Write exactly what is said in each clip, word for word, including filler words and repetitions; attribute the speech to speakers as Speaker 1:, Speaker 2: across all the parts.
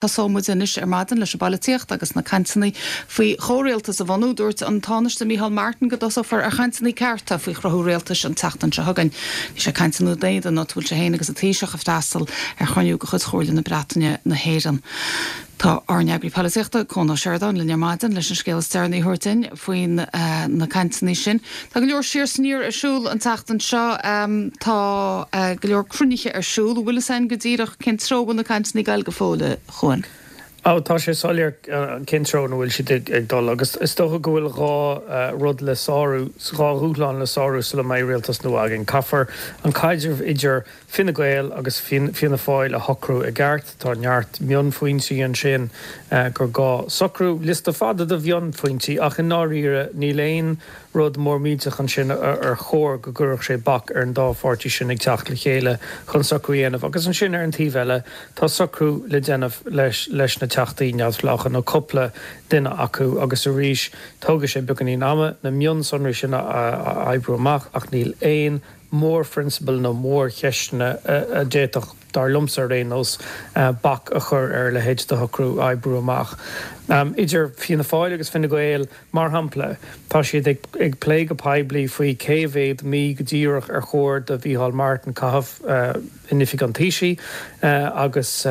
Speaker 1: Tosóidh muid anois ar maidin leis an bpolaitíocht agus na cainteanna faoi chomhrialtas a bhunú. Dúirt an Tánaiste Micheál Martin go dtosófar ar chainteanna cearta faoi chruthú rialtais an tseachtain seo chugainn. Bhí sé ag caint i nDún Éideann áit a bhfuil sé féin agus an Taoiseach ag freastal ar chruinniú de chuid Chomhairle na Breataine na hÉireann. Tá ár n-eagraí polaitíochta, Cuan Ó Seireadáin, linn ar maidin leis an scéal is deireanaí a thabhairt dúinn faoi na cainteanna sin. Tá go leor siar is aniar ar siúl an tseachtain seo. Tá go leor cruinnithe ar siúl. An bhfuil a fhios againn go díreach cén treo a bhfuil na cainteanna ag dul go fóill, a Chuain?
Speaker 2: Ó, tá sé soiléir cén treo ina bhfuil siad ag dul agus is dócha go bhfuil dhá rud le sárú, dhá dhúshlán le sárú sula mbeidh rialtas nua againn. Caithfear an caidreamh idir Fine Gael agus Fianna Fáil a shocrú i gceart. Tá neart mionphointí ansin gur gá socrú. Liosta fada de mhionphointí ach i ndáiríre níl aon rud mór millteach ansin ar chóir go gcuirfeadh sé bac ar an dá pháirtí sin ag teacht le chéile chun socrú a dhéanamh. Agus ansin ar an taobh eile tá socrú le déanamh leis leis na Teachtaí neamhspleácha nó cúpla duine acu agus arís tógfaidh sé beagáinín ama na mionsonraí sin a oibriú amach ach níl aon mórphrionsabal nó mórcheisteanna a d'fhéadfadh, dar liomsa ar aon nós, bac a chur ar a leithéid de shocrú a oibriú amach. Idir Fianna Fáil agus Fine Gael, mar shampla, tá siad ag plé go poiblí faoi cé mhéad mí go díreach ar chóir do Mhícheál Martin caitheamh in oifig an Taoisigh agus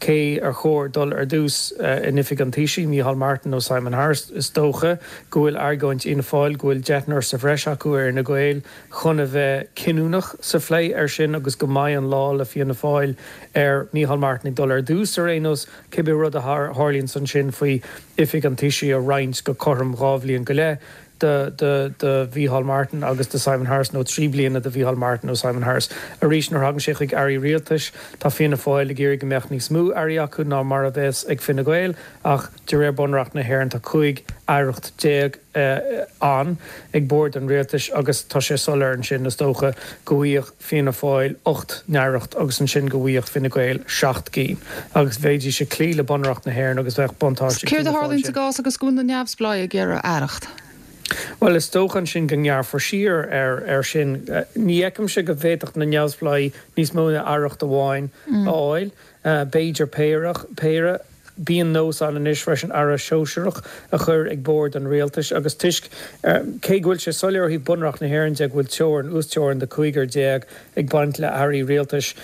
Speaker 2: cé ar chóir dul ar dtús in oifig an Taoisigh, Micheál Martin nó Simon Harris. Is dócha go bhfuil argóint Fhianna Fáil go bhfuil deichniúr sa bhreis acu ar Fhine Gael chun a bheith cinniúnach sa phlé air sin agus go mbeidh an lá le Fianna Fáil ar Micheál Martin ag dul ar dtús ar aon nós, cibé rud a tharlaíonns ansin faoi oifig an Taoisigh a roinnt go cothrom dhá bhliain go leith do do Mhícheál Martin agus do Simon Harris nó trí bliana do Mhícheál Martin nó Simon Harris. Arís nuair a thagann sé chuig airí rialtais, tá Fianna Fáil ag iarraidh go mbeadh níos mó airí acu ná mar a bheas ag Fine Gael ach de réir Bunreacht na hÉireann tá cúig aireacht déag ann ag bord an rialtais agus tá sé soiléir ansin is dócha go bhfaigheadh Fianna Fáil ocht n-aireacht agus ansin go bhfaigheadh Fine Gael seacht gcinn agus bheidís ag cloí le Bunreacht na hÉireann agus bheadh buntáiste ag
Speaker 1: Céard a
Speaker 2: Fianna Fáil
Speaker 1: tharlaíonn sa
Speaker 2: sin.
Speaker 1: gcás agus go bhfuil na neamhspleáigh ag iarraidh aireacht?
Speaker 2: Bhuel, is dócha ansin go ngearrfar siar ar ar sin. Ní fheicimse go bhféadfadh na neamhspleáigh níos mó ná aireacht amháin a fháil, b'fhéidir péire, péire. Bíonn nós ann anois freisin aire sóisearach a chur ag bord an rialtais agus toisc, cé go bhfuil sé soiléir ó thaobh Bunreacht na hÉireann de go bhfuil teorainn, uasteorainn de cúigear déag ag baint le hairí rialtais,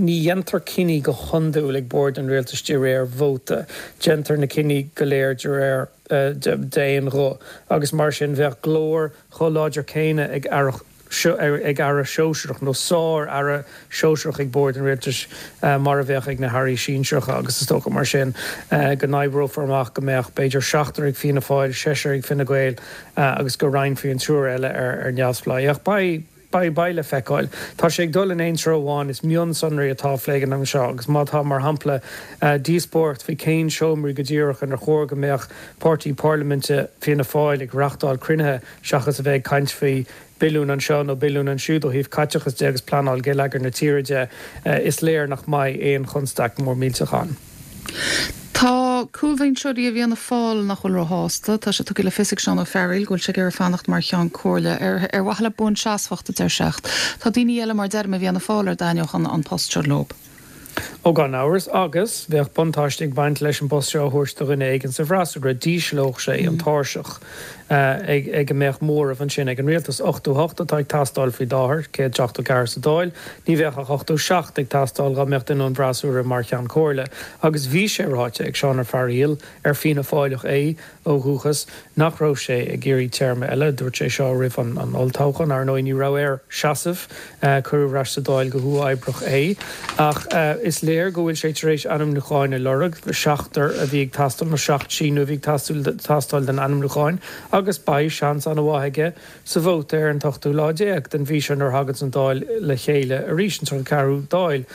Speaker 2: ní dhéantar cinní go hiondúil ag bord an rialtais de réir vóta. Déantar na cinní go léir de réir d'aon ghuth agus mar sin bheadh glór chomh láidir céanna ag aireacht ag aire sóisearach nó sár-aire sóisearach ag bord an rialtais mar a bheadh ag na hairí sinsearacha agus is dócha mar sin go n-oibreofar amach go mbeadh b'fhéidir seachtar ag Fianna Fáil, seisear ag Fine Gael agus go roinnfí an triúr eile ar neamhspleáigh. Ach beidh beidh beidh le feiceáil. Tá sé ag dul in aon treo amháin, is mionsonraí atá á phlé ag an am seo agus má tá, mar shampla, díospóireacht faoi cén seomraí go díreach inar chóir go mbeadh páirtí parlaiminte Fianna Fáil ag reáchtáil cruinnithe seachas a bheith ag caint faoi billiún anseo nó billiún ansiúd ó thaobh caiteachas de agus pleanáil geilleagair na tíre de, is léir nach mbeidh aon chonstaic mór millteach ann.
Speaker 1: Tá cúlbhinseoirí i bhFianna Fáil nach bhfuil róshásta. Tá sé tugtha le fios ag Seán Ó Fearghaíl go bhfuil sé ag iarraidh fanacht mar Cheann Comhairle ar ar mhaithe le buanseasmhacht, a deir sé. Ach tá daoine eile, mar deirim, i bhFianna Fáil ar dtaitneodh an an post seo leo.
Speaker 2: Ó gan amhras, agus bheadh buntáiste ag baint leis an bpost seo a thabhairt do dhuine éigin sa bhfreasúra, d'ísleodh sé an tairseach ag ag a mbeadh móramh ansin ag an rialtas. ochtó a hocht atá ag teastáil faoi láthair, céad seachtó ceathair sa Dáil, ní bheadh ach ochtó seacht ag teastáil dá mbeadh duine ón bhfreasúra mar Cheann Comhairle. Agus bhí sé ráite ag Seán Ó Fearghaíl, ar Fianna Fáileach é ó dhúchas, nach raibh sé ag iarraidh téarma eile. Dúirt sé seo roimh an olltoghchán. Ar ndóigh ní raibh air seasamh, cuireadh ar ais sa Dáil go huathoibríoch é. Ach is léir go bhfuil sé tar éis ainmniúcháin a lorg, seachtar a bhí ag teastáil, nó seacht síniú a bhí ag teastáil don ainmniúcháin, agus beidh seans an-mhaith aige sa vóta ar an t-ochtú lá déag den mhí seo nuair a thaganns an Dáil le chéile arís, an tríocha ceathrú Dáil.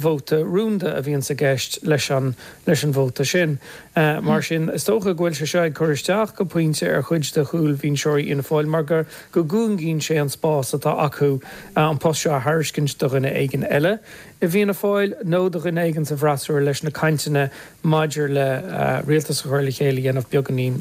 Speaker 2: Vóta rúnda a bhíonns i gceist leis an leis an vóta sin. Mar sin, is dócha go bhfuil sé seo ag cur isteach go pointe ar chuid de chúlbhinseoirí Fhianna Fáil mar go go gcúngaíonn sé an spás atá acu an post seo a thairiscint do dhuine éigin eile. i bhFianna Fáil nó do dhuine éigin sa bhfreasúra leis na cainteanna maidir le rialtas a chur le chéile a dhéanamh beagáinín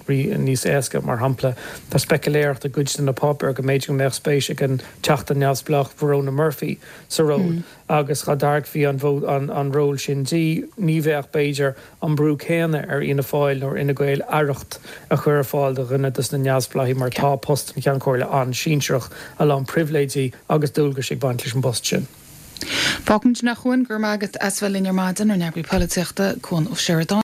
Speaker 2: níos éasca. Mar shampla, tá speicealéireacht i gcuid de na páipéir go mb'fhéidir go mbeadh spéis ag an Teachta neamhspleách Verona Murphy sa ról agus dá dtairgfí an ról sin di, ní bheadh, b'fhéidir, an brú céanna ar Fhianna Fáil nó ar Fhine Gael aireacht a chur ar fáil do dhuine de na neamhspleáigh mar tá post an Cheann Comhairle an-sinsearach, a lán pribhléidí agus dualgais ag baint leis an bpost sin.
Speaker 1: Fágfaimid sin a Chuain, go raibh maith agat as bheith linn ar maidin, ár n-eagraí polaitíochta, Cuan Ó Seireadáin.